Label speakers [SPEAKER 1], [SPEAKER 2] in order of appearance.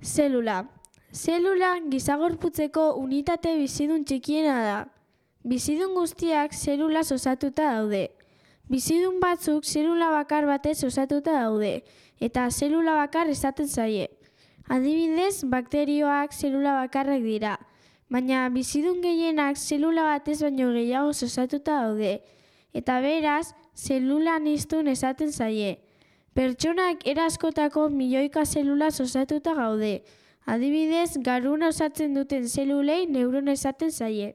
[SPEAKER 1] Zelula. Zelula gizagorputzeko unitate bizidun txikiena da. Bizidun guztiak zelulaz osatuta daude. Bizidun batzuk zelula bakar batez osatuta daude, eta zelula bakar esaten zaie. Adibidez, bakterioak zelula bakarrak dira, baina bizidun gehienak zelula batez baino gehiago osatuta daude, eta beraz, zelula aniztun esaten zaie. Pertsonak era askotako milioika zelulaz osatuta gaude. Adibidez, garuna osatzen duten zelulei neurona esaten zaie.